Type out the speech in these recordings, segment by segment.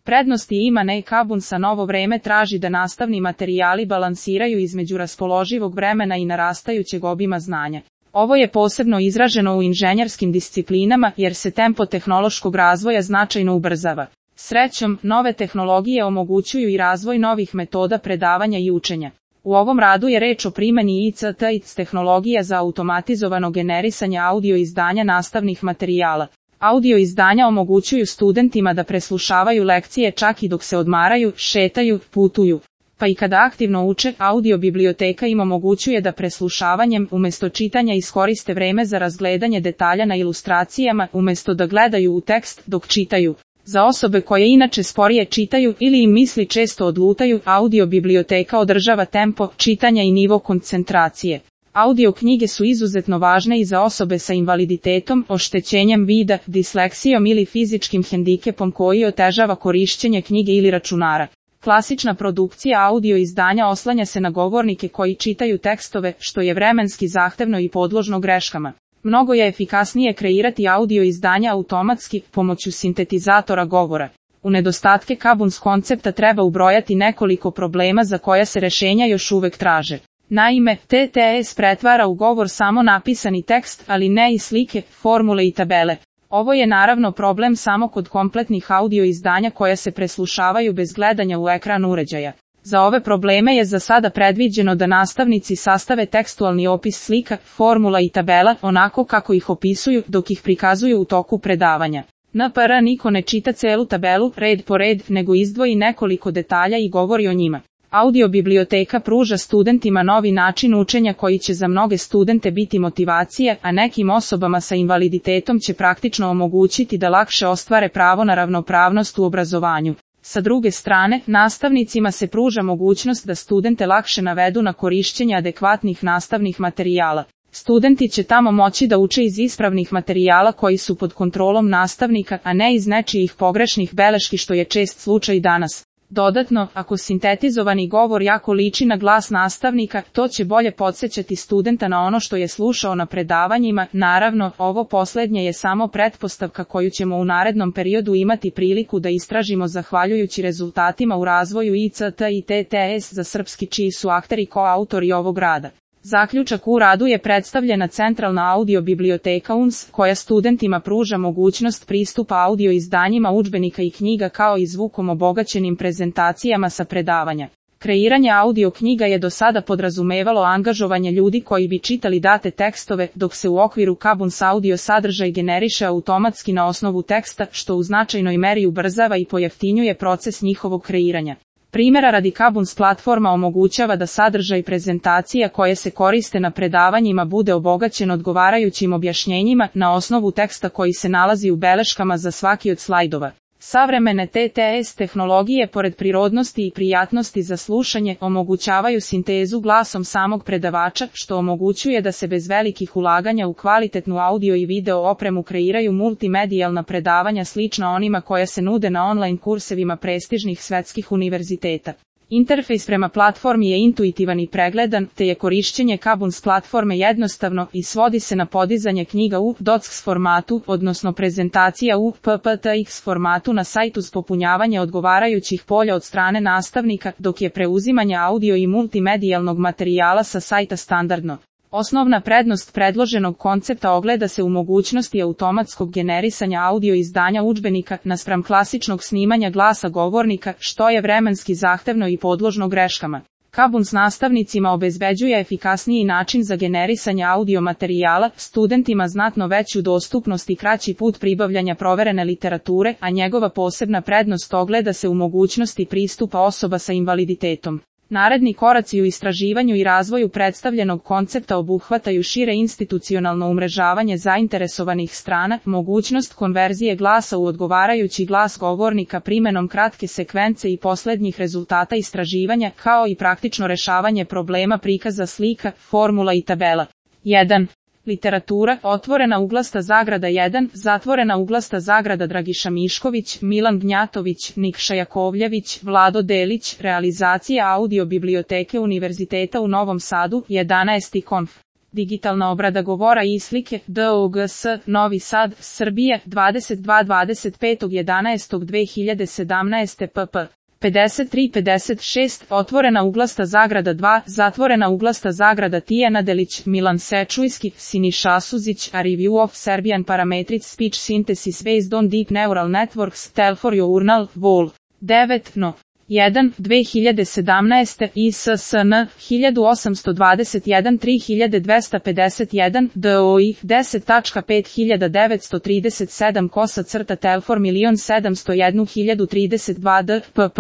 Prednosti ima Kabun sa novo vreme traži da nastavni materijali balansiraju između raspoloživog vremena i narastajućeg obima znanja. Ovo je posebno izraženo u inženjerskim disciplinama jer se tempo tehnološkog razvoja značajno ubrzava. Srećom, nove tehnologije omogućuju i razvoj novih metoda predavanja i učenja. U ovom radu je reč o primjeni ICT tehnologija za automatizovano generisanje audio izdanja nastavnih materijala. Audio izdanja omogućuju studentima da preslušavaju lekcije čak i dok se odmaraju, šetaju, putuju. Pa i kada aktivno uče, audio biblioteka im omogućuje da preslušavanjem umjesto čitanja iskoriste vreme za razgledanje detalja na ilustracijama umjesto da gledaju u tekst dok čitaju. Za osobe koje inače sporije čitaju ili im misli često odlutaju, audio biblioteka održava tempo čitanja i nivo koncentracije. Audio knjige su izuzetno važne i za osobe sa invaliditetom, oštećenjem vida, disleksijom ili fizičkim hendikepom koji otežava korišćenje knjige ili računara. Klasična produkcija audio izdanja oslanja se na govornike koji čitaju tekstove, što je vremenski zahtevno i podložno greškama. Mnogo je efikasnije kreirati audio izdanja automatski, pomoću sintetizatora govora. U nedostatke Kabuns koncepta treba ubrojati nekoliko problema za koja se rešenja još uvek traže. Naime, TTS pretvara u govor samo napisani tekst, ali ne i slike, formule i tabele. Ovo je naravno problem samo kod kompletnih audio izdanja koja se preslušavaju bez gledanja u ekran uređaja. Za ove probleme je za sada predviđeno da nastavnici sastave tekstualni opis slika, formula i tabela onako kako ih opisuju dok ih prikazuju u toku predavanja. NPR niko ne čita celu tabelu red po red, nego izdvoji nekoliko detalja i govori o njima. Audio biblioteka pruža studentima novi način učenja koji će za mnoge studente biti motivacija, a nekim osobama sa invaliditetom će praktično omogućiti da lakše ostvare pravo na ravnopravnost u obrazovanju. Sa druge strane, nastavnicima se pruža mogućnost da studente lakše navedu na korišćenje adekvatnih nastavnih materijala. Studenti će tamo moći da uče iz ispravnih materijala koji su pod kontrolom nastavnika, a ne iz nečijih pogrešnih beleški što je čest slučaj danas. Dodatno, ako sintetizovani govor jako liči na glas nastavnika, to će bolje podsjećati studenta na ono što je slušao na predavanjima. Naravno, ovo posljednje je samo pretpostavka koju ćemo u narednom periodu imati priliku da istražimo zahvaljujući rezultatima u razvoju ICT i TTS za srpski čiji su akteri koautori ovog rada. Zaključak u radu je predstavljena centralna audio biblioteka UNS, koja studentima pruža mogućnost pristupa audio izdanjima udžbenika i knjiga kao i zvukom obogaćenim prezentacijama sa predavanja. Kreiranje audio knjiga je do sada podrazumevalo angažovanje ljudi koji bi čitali date tekstove, dok se u okviru Kabuns audio sadržaj generiše automatski na osnovu teksta, što u značajnoj meri ubrzava i pojeftinjuje proces njihovog kreiranja. Primjera radi Kabuns platforma omogućava da sadržaj prezentacija koje se koriste na predavanjima bude obogaćen odgovarajućim objašnjenjima na osnovu teksta koji se nalazi u beleškama za svaki od slajdova. Savremene TTS tehnologije pored prirodnosti i prijatnosti za slušanje omogućavaju sintezu glasom samog predavača, što omogućuje da se bez velikih ulaganja u kvalitetnu audio i video opremu kreiraju multimedijalna predavanja slična onima koja se nude na online kursevima prestižnih svetskih univerziteta. Interfejs prema platformi je intuitivan i pregledan, te je korišćenje Kabuns platforme jednostavno i svodi se na podizanje knjiga u DOCX formatu, odnosno prezentacija u PPTX formatu na sajtu s popunjavanje odgovarajućih polja od strane nastavnika, dok je preuzimanje audio i multimedijalnog materijala sa sajta standardno. Osnovna prednost predloženog koncepta ogleda se u mogućnosti automatskog generisanja audio izdanja udžbenika naspram klasičnog snimanja glasa govornika, što je vremenski zahtevno i podložno greškama. Kabuns nastavnicima obezbeđuje efikasniji način za generisanje audio materijala, studentima znatno veću dostupnost i kraći put pribavljanja proverene literature, a njegova posebna prednost ogleda se u mogućnosti pristupa osoba sa invaliditetom. Naredni koraci u istraživanju i razvoju predstavljenog koncepta obuhvataju šire institucionalno umrežavanje zainteresovanih strana, mogućnost konverzije glasa u odgovarajući glas govornika primjenom kratke sekvence i posljednjih rezultata istraživanja, kao i praktično rešavanje problema prikaza slika, formula i tabela. 1. Literatura, otvorena uglasta zagrada 1, zatvorena uglasta zagrada Dragiša Mišković, Milan Gnjatović, Nikša Jakovljević, Vlado Delić, realizacija audio biblioteke Univerziteta u Novom Sadu, 11. Konf. digitalna obrada govora i slike, DOGS, Novi Sad, Srbije, 22.25.11.2017 pp. 53-56, otvorena uglasta zagrada 2, zatvorena uglasta zagrada Tijana Delić, Milan Sečujski, Siniša Suzić, A Review of Serbian Parametric Speech Synthesis Based on Deep Neural Networks, Telfor Journal, Vol. 9, no. 1, 2017, ISSN, 1821 3251, DOI, 10.5937 Telfor 1.701.032 d, pp.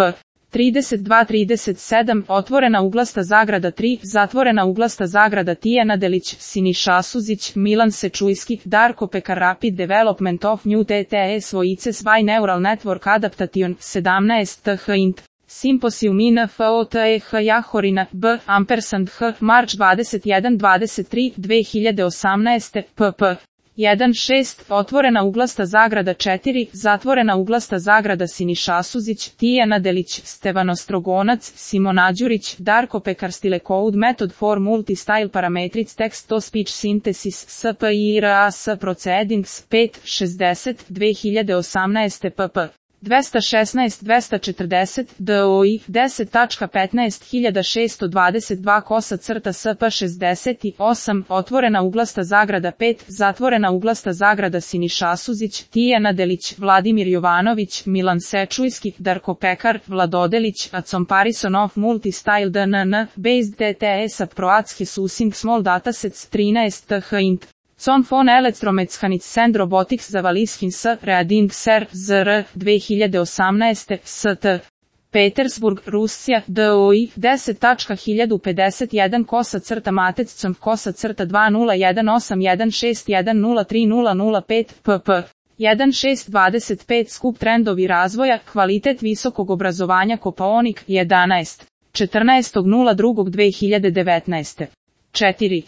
32-37, otvorena uglasta zagrada 3, zatvorena uglasta zagrada Tijana Delić, Siniša Suzić, Milan Sečujski, Darko Pekar Rapid Development of New TTS Voices by Neural Network Adaptation, 17 th int. Symposium in FOTEH Jahorina, B. Ampersand H. March 21-23, 2018, pp. 1.6, otvorena uglasta zagrada 4, zatvorena uglasta zagrada Siniša Suzić, Tijana Delić, Stevano Strogonac, Simona Đurić, Darko Pekar Style Code Method for Multi-Style Parametric Text-to-Speech Synthesis, SPIRAS Proceedings, 5.60, 2018 pp. 216-240, DOI, 10.15.622 SP68, otvorena uglasta zagrada 5, zatvorena uglasta zagrada Siniša Suzić, Tijana Delić, Vladimir Jovanović, Milan Sečujski, Darko Pekar, Vladodelić, A Comparison of Multi-Style DNN, Based TTS Approach Using Small Datasets, 13 th int. Con von Elektromechanics and Robotics za Valishin S. Reading Ser. ZR. 2018. St. Petersburg, Rusija, DOI, 10.1051 Matec.com 201816103005 pp. 1.6.25 Skup trendovi razvoja, kvalitet visokog obrazovanja Kopaonik, 11. 14.02.2019. 4.